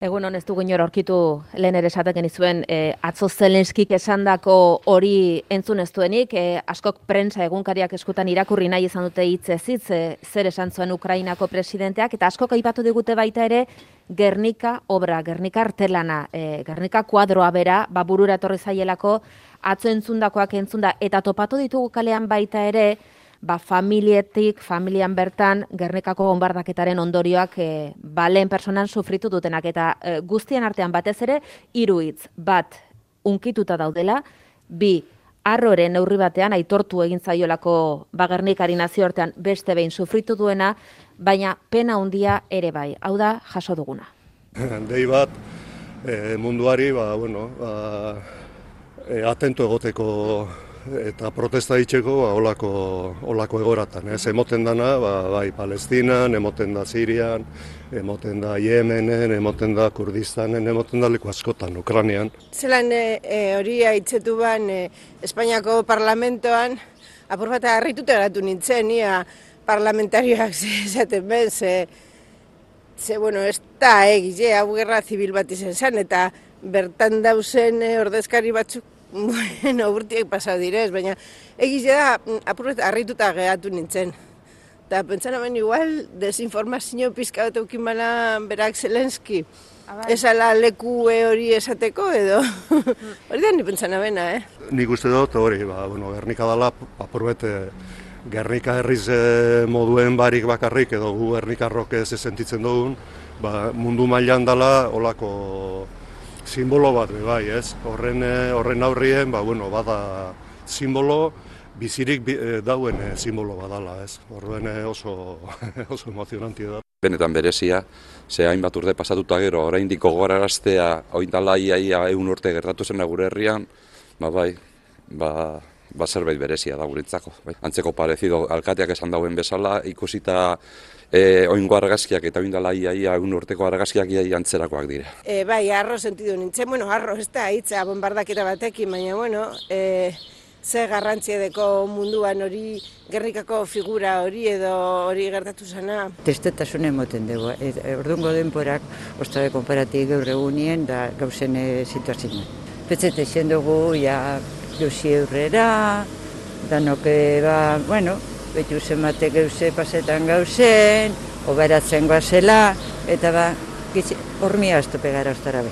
Egun ez dugu inor aurkitu lehen ere esaten izuen atzo Zelenskik esandako hori entzun ez duenik, askok prentsa egunkariak eskutan irakurri nahi izan dute hitzez hitz zer esan zuen Ukrainako presidenteak, eta askok aipatu digute baita ere Gernika obra, Gernika artelana, Gernika kuadroa bera, burura etorri zaielako atzo entzundakoak entzunda, eta topatu ditugu kalean baita ere, familian bertan, Gernikako bombardaketaren ondorioak lehen personan sufritu dutenak, eta guztien artean batez ere, 3 hitz, bat, unkituta daudela, 2, harroren neurri batean, aitortu egin zaiolako Gernikari nazioartean beste behin sufritu duena, baina pena handia ere bai, hau da jaso duguna. Dei bat, munduari, atento egoteko eta protesta ditzeko olako egoratan. Emoten dana, bai Palestinan, emoten da Sirian, emoten da Yemenen, emoten da Kurdistanen, emoten da leku askotan, Ukrainian. Zelan hori haitzetu ban Espainiako parlamentoan, apur bat harrituta geratu nintzen, ia parlamentarioak esaten ben, ez da egize, hau gerra zibil bat izan zen, eta bertan dauzen ordezkari batzuk urtiak pasau direz, baina egize da apurret harrituta geratu nintzen. Eta pentsan hemen igual desinformazio pizka bat eukin bala berak Zelenski. Esala leku hori esateko edo. Hori da ni pentsan abena, Nik uste dut hori, Gernika dala apurret Gernika herriz moduen barik bakarrik edo gu Gernikarrok ez sentitzen dugun, mundu mailan dala olako simbolo bat, bai, ez? Horren aurrien, bada simbolo, bizirik dauen simbolo badala, ez? Horren oso emozionantia da. Benetan berezia, ze hainbat urte pasatuta gero, oraindik gogoraraztea, oindala ia 100 urte gertatu zena gure herrian, zerbait berezia da guretzako. Antzeko parezido, alkateak esan dauen bezala, ikusita oingo argazkiak eta oindala ia 100 urteko argazkiak ia antzerakoak dira. Bai, harro sentidu nintzen, harro ez da hitza bombardaketa batekin, baina, ze garrantzia deko munduan hori, Gernikako figura hori edo hori gertatu zena. Testetasun emoten dugu, ordungo denporak, ostabe konparatik gaur egunien da gauzen situazioa. Petzete zen dugu, gauzi eurrera, danoke betu zenbate gauze pasetan gauzen, oberatzen goazela, eta hormia aztope gara ostara be.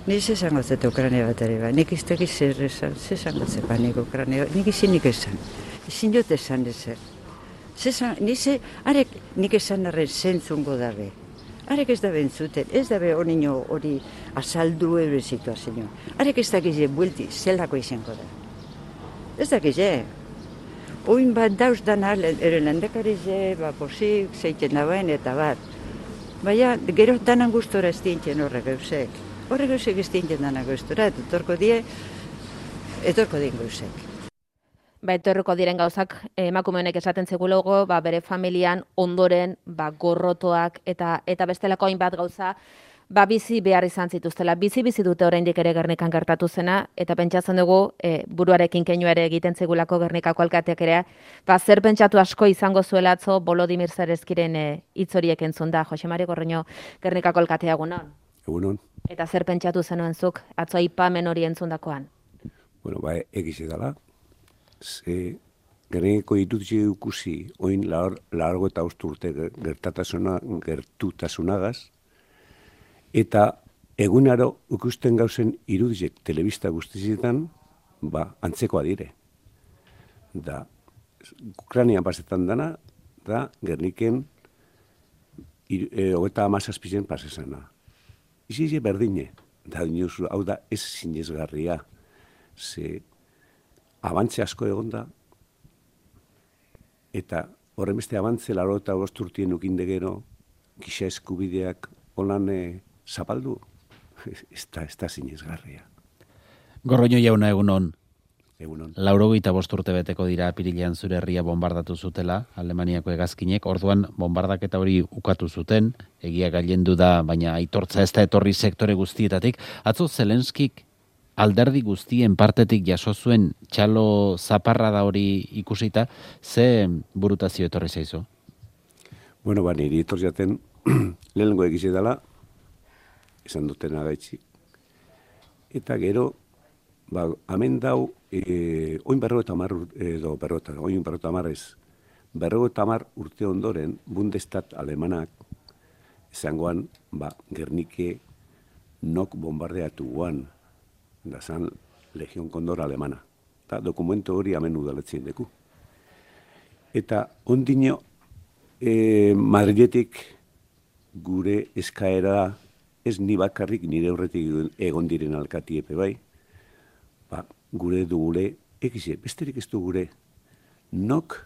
Nik esango zeta Ukraina bat ere, nik ez tegiz zer esango zepa nik Ukraina, nik izinik esan, izin jot esan ezer. Nik esan arren zentzungo dabe, arek ez da bentzuten, ez dabe hori azaldu eure situazioa, arek ez dakize buelti zelako izango da. Ez dakize, oin bat dauz dana, ere lendekarize, posik, zeiten dauen eta bat. Baina, gero danan gustora ez dintzen horrek gauzek. Horrek gauzek ez dintzen danan gustora, eta etorko dien gauzek. Etorriko diren gauzak, emakume honek esaten zegulogo, bere familian ondoren, gorrotoak eta bestelako hainbat gauza, bizi behar izan zituztela. Bizi dute oraindik ere Gernikan gertatu zena, eta pentsatzen dugu, buruarekin keinu ere egiten zegulako Gernikako alkateak ere, zer pentsatu asko izango zuela atzo Volodymyr Zelenskiren hitz horiek entzun da. Jose Mari Gorroño, Gernikako alkatea egunon. Egunon. Eta zer pentsatu zenuen zuk atzo aipamen hori entzundakoan? Egize dala. Gernikako iruditze ikusi, oin largo eta urte gertutasunagaz, eta egunaro ikusten gauzen irudizek telebista guztizietan, antzekoa dire. Da, Ukrainian pasetan dana, da Gerniken 37 pasesana. Izi berdine, da dinosu, hau da ez zinezgarria, ze abantze asko egonda, eta horren beste abantze 85 urtien ukinde gero, giza eskubideak holan zapaldu, ez da zinezgarria. Gorroño jauna egunon. Egunon. 85 urte beteko dira apirilean zure herria bombardatu zutela, Alemaniako hegazkinek, orduan bombardaketa hori ukatu zuten, egia gailendu da, baina aitortza ez da etorri sektore guztietatik. Atzo Zelenskik alderdi guztien partetik jaso zuen txalo zaparra da hori ikusita, ze burutazio etorri zaizu? Niri etorri zaten lehenengo egize dela, esan duten agaitzik. Eta gero, hemen dau, oin 50 urte ondoren, Bundestat alemanak, esangoan, Gernike nok bombardeatu guan, da zan Legion Kondor alemana. Eta dokumento hori hemen udaletzen deku. Eta ondino, Madriletik gure eskaera ez ni bakarrik nire horretik egon diren alkatiepe bai, gure dugule, egize, besterik ez du gure, nok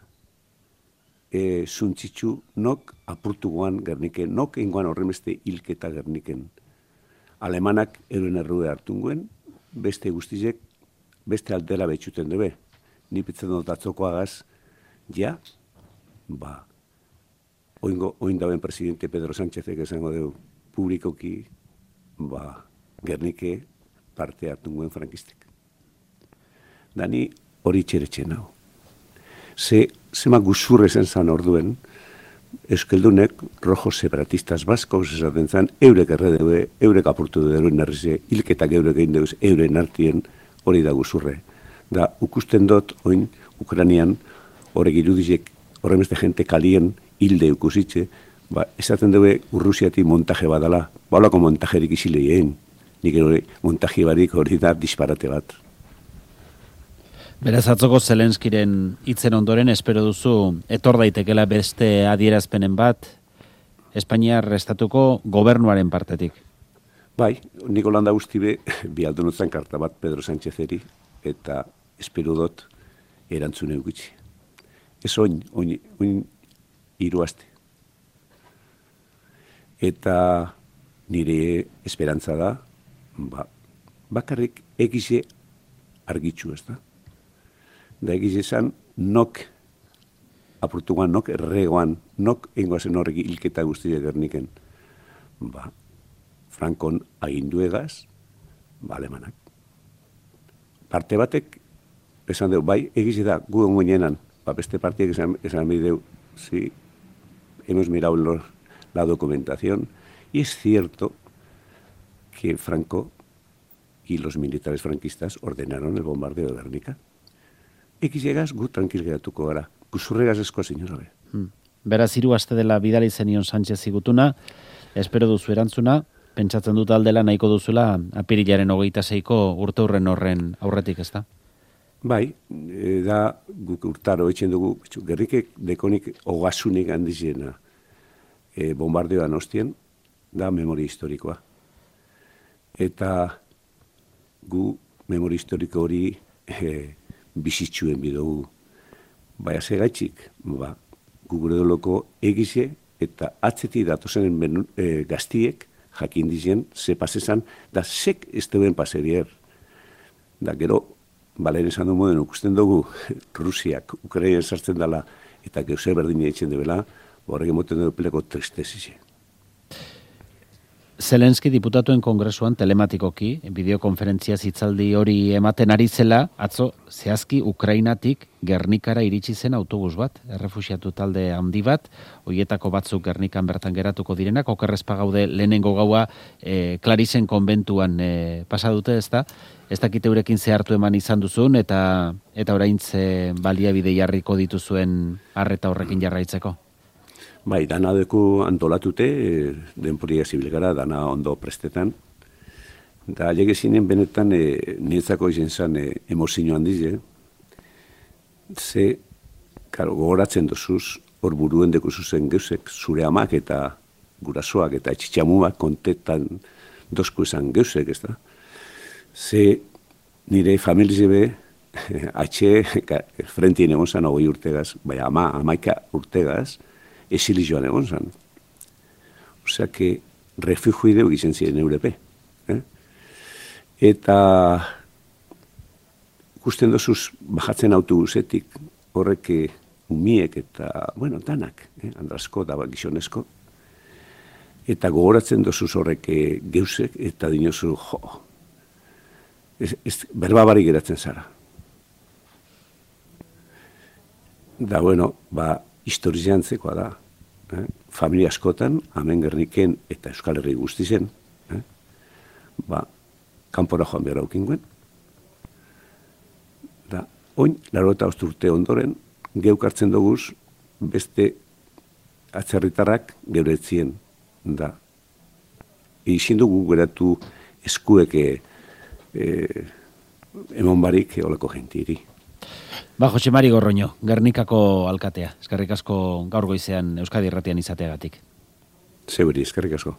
zuntzitzu, nok apurtuguan Gerniken, nok ingoan horremeste hilketa Gerniken. Alemanak euren errue hartunguen, beste guztizek, beste aldera betxuten dube. Ni pitzen dut atzokoagaz, ja, oin dauen presidente Pedro Sánchezek esango dugu publikoki, Gernike parte hartunguen frankistek. Dani hori txeretxen hau. Zema guzurre zen zan orduen, euskeldunek rojo separatistas baskos esaten zan, eurek erredeue, eurek apurtu duen narrize, hilketak eurek egin deuz, euren artien hori da guzurre. Da, ukusten dut, oin, Ukranian, horrek irudizek, horremeste jente kalien hilde ukusitxe, esaten dugu Urrusiati montaje badala, baulako montajerik isileien, nik hori montaje barik hori da disparate bat. Beraz, atzoko Zelenskiren hitzen ondoren, espero duzu, etor daitekela beste adierazpenen bat, Espainiar estatuko gobernuaren partetik. Bai, nik holanda guztibe, bi aldunotzen karta bat Pedro Sánchezeri, eta espero dut erantzune gutxi. Ez oin hiru aste. Eta nire esperantza da, bakarrik egize argitxu ez da. Da egiz esan, nok apurtuan, nok erregoan, nok engoazen horrek hilketa guztia Gerniken. Frankon aginduegaz, alemanak. Parte batek, esan dugu, bai, egiz da, gu ongoinenan, beste partiek esan bideu, si hemos mirado la documentación, y es cierto que Franco y los militares franquistas ordenaron el bombardeo de Gernika. Ekizegaz, gu tranquil geratuko gara. Guzurregaz esko zinurabe. Beraz, 3 aste dela bidali zenion Sánchez igutuna, espero duzu erantzuna, pentsatzen dut aldela nahiko duzula apirilaren 26ko urteurren horren aurretik, ez da? Bai, da guk urtaro etxen dugu, Gernikek dekonik ogasunik handizena bombardeoan ostien, da memoria historikoa. Eta gu memoria historiko hori bizitzuen bidugu. Baina segaitxik, gu gure doloko egize eta atzeti datozen gaztiek jakin dizen, ze pasezan, da sek ez duen paserier. Da gero, balen esan du moden, ukusten dugu Rusiak, Ukraina sartzen dela, eta geuse berdina etxen debela, horrek emoten dugu peleko tristesize. Zelenski diputatuen kongresuan telematikoki, bideokonferentzia hitzaldi hori ematen ari zela, atzo zehazki Ukrainatik Gernikara iritsi zen autobus bat, errefuxiatu talde handi bat, hoietako batzuk Gernikan bertan geratuko direnak, okerrezpa gaude lehenengo gaua Clarisen konbentuan pasa dute, ezta? Ez dakite eurekin zehartu eman izan duzun, eta oraintze baliabide jarriko dituzuen arreta horrekin jarraitzeko. Bai, dana deku antolatute, denporia zibil gara, dana ondo prestetan. Da, legezinen benetan niretzako izen zen emozio handiz, ze, gogoratzen dozuz, hor buruen deku zuzen geusek, zure amak eta gurasoak eta etxitxamuak kontetan dozku esan geusek, ez da? Ze, nire familize be, frentien egon zan 20 urtegaz, bai, amaika urtegaz, esili joan egon zan. Osea, que refugiu ideu gizen ziren Europe. Eta ikusten dozuz bajatzen autobusetik horrek umiek eta, bueno, danak, andrasko da gizonezko. Eta gogoratzen dozuz horrek geusek eta dinozu, berbabarik geratzen zara. Da, bueno, historizantzekoa da. Familia askotan, hemen Gerniken eta Euskal Herri guzti zen, kanpora joan behar aukinguen. Da, oin, 85 urte ondoren, geukartzen duguz beste atzerritarrak geure etzien. Da, izin dugu geratu eskuek emon barik olako jentiri. Ba, Jose Mari Gorroño, Gernikako alkatea. Eskerrik asko gaur goizean Euskadi Irratian izateagatik. Zeuri, eskerrik asko.